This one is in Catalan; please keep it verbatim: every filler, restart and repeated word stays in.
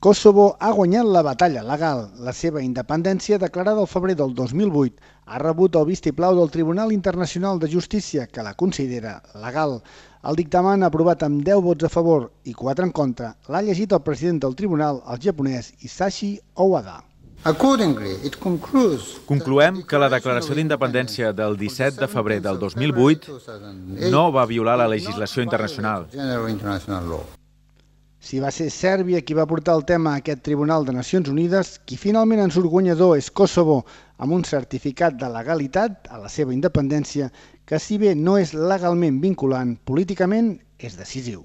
Kosovo ha guanyat la batalla legal. La seva independència, declarada el febrer del dos mil vuit, ha rebut el vistiplau del Tribunal Internacional de Justícia, que la considera legal. El dictamen, aprovat amb deu vots a favor i quatre en contra, l'ha llegit el president del tribunal, el japonès Hisashi Owada. Concloem que la declaració d'independència del disset de febrer del dos mil vuit no va violar la legislació internacional. Si va ser Sèrbia qui va portar el tema a aquest Tribunal de Nacions Unides, qui finalment en surt guanyador és Kosovo, amb un certificat de legalitat a la seva independència que, si bé no és legalment vinculant, políticament és decisiu.